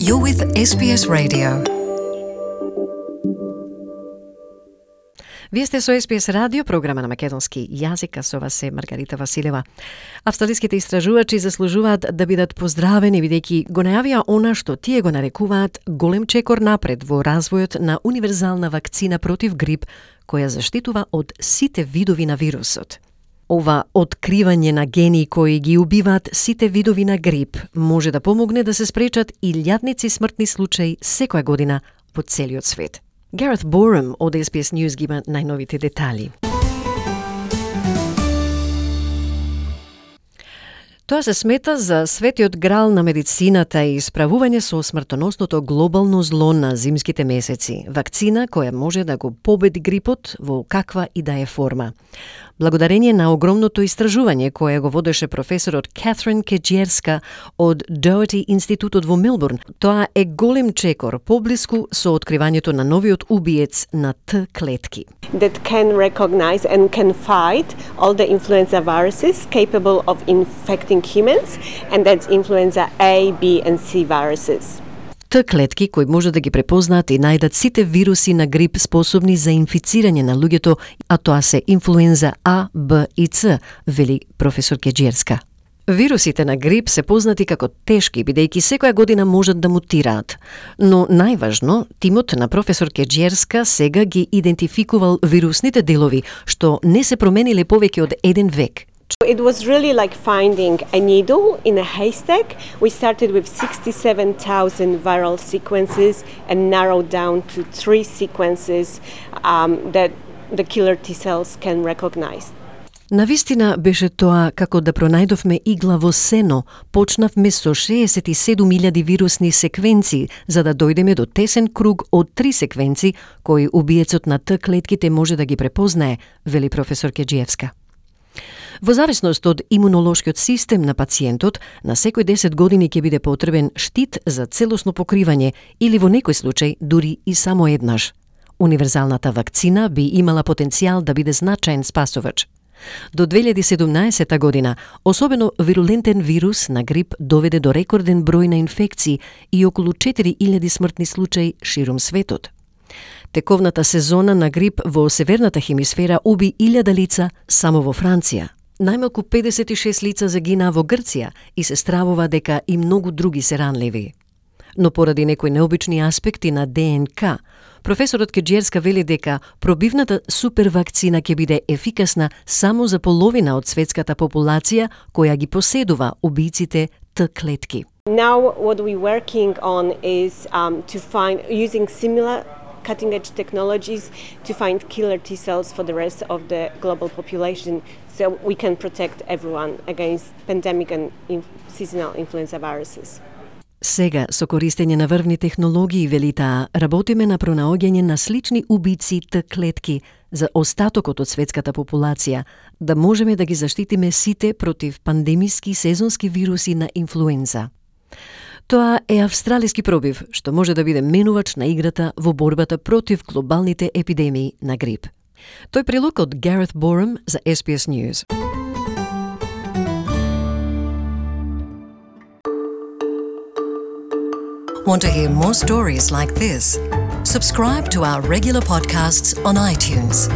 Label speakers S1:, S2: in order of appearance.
S1: You're with SBS Radio. Вие сте со SBS радио, програма на македонски јазик, а со вас е Маргарита Василева. Австралиските истражувачи заслужуваат да бидат поздравени, бидејќи го најавија она што тие го нарекуваат голем чекор напред во развојот на универзална вакцина против грип, која заштитува од сите видови на вирусот. Ова откривање на гени кои ги убиваат сите видови на грип може да помогне да се спречат илјадници смртни случаи секоја година по целиот свет. Gareth Borum од SBS News ги има најновите детали. Тоа се смета за светиот грал на медицината и справување со смртоносното глобално зло на зимските месеци. Вакцина која може да го победи грипот во каква и да е форма. Благодарение на огромното истражување кое го водеше професорот Catherine Kejerska од Doherty институтот во Мелбурн, тоа е голем чекор поблиску со откривањето на новиот убиец на Т клетки.
S2: That can recognize and can fight all the influenza viruses capable of infecting humans, and that's influenza A, B and C viruses.
S1: Т клетки кои може да ги препознаат и најдат сите вируси на грип способни за инфицирање на луѓето, а тоа се инфлуенза А, Б и Ц, вели професор Кеџерска. Вирусите на грип се познати како тешки, бидејќи секоја година можат да мутираат. Но најважно, тимот на професор Кеџерска сега ги идентификувал вирусните делови, што не се промениле повеќе од еден век.
S2: It was really like finding a needle in a haystack. We started with 67,000 viral sequences and narrowed down to 3 sequences that the killer T cells can recognize.
S1: Навистина беше тоа како да пронајдовме игла во сено. Почнавме со 67.000 вирусни секвенци, за да дојдеме до тесен круг од 3 секвенци кои убиецот на Т клетките може да ги препознае, вели професор Кеџиевска. Во зависност од имунолошкиот систем на пациентот, на секој 10 години ќе биде потребен штит за целосно покривање или во некој случај дури и само еднаш. Универзалната вакцина би имала потенцијал да биде значаен спасувач. До 2017 година, особено вирулентен вирус на грип доведе до рекорден број на инфекции и околу 4.000 смртни случаи ширум светот. Тековната сезона на грип во северната хемисфера уби 1000 лица само во Франција. Најмалку 56 лица загинаа во Грција и се стравува дека и многу други се ранливи. Но поради некои необични аспекти на ДНК, професорот Кеџерска вели дека пробивната супервакцина ќе биде ефикасна само за половина од светската популација која ги поседува убијците Т клетки.
S2: Now what we're working on is to find using similar cutting-edge technologies to find killer T cells for the rest of the global population, so we can protect everyone against pandemic and seasonal influenza viruses.
S1: Сега, со користење на врвни технологии, вели таа, работиме на пронаоѓање на слични убици Т клетки за остатокот од светската популација, да можеме да ги заштитиме сите против пандемиски сезонски вируси на инфлуенза. Тоа е австралиски пробив, што може да биде менувач на играта во борбата против глобалните епидемии на грип. Тој прилог од Gareth Borum за SBS News.
S3: Want to hear more stories like this? Subscribe to our regular podcasts on iTunes.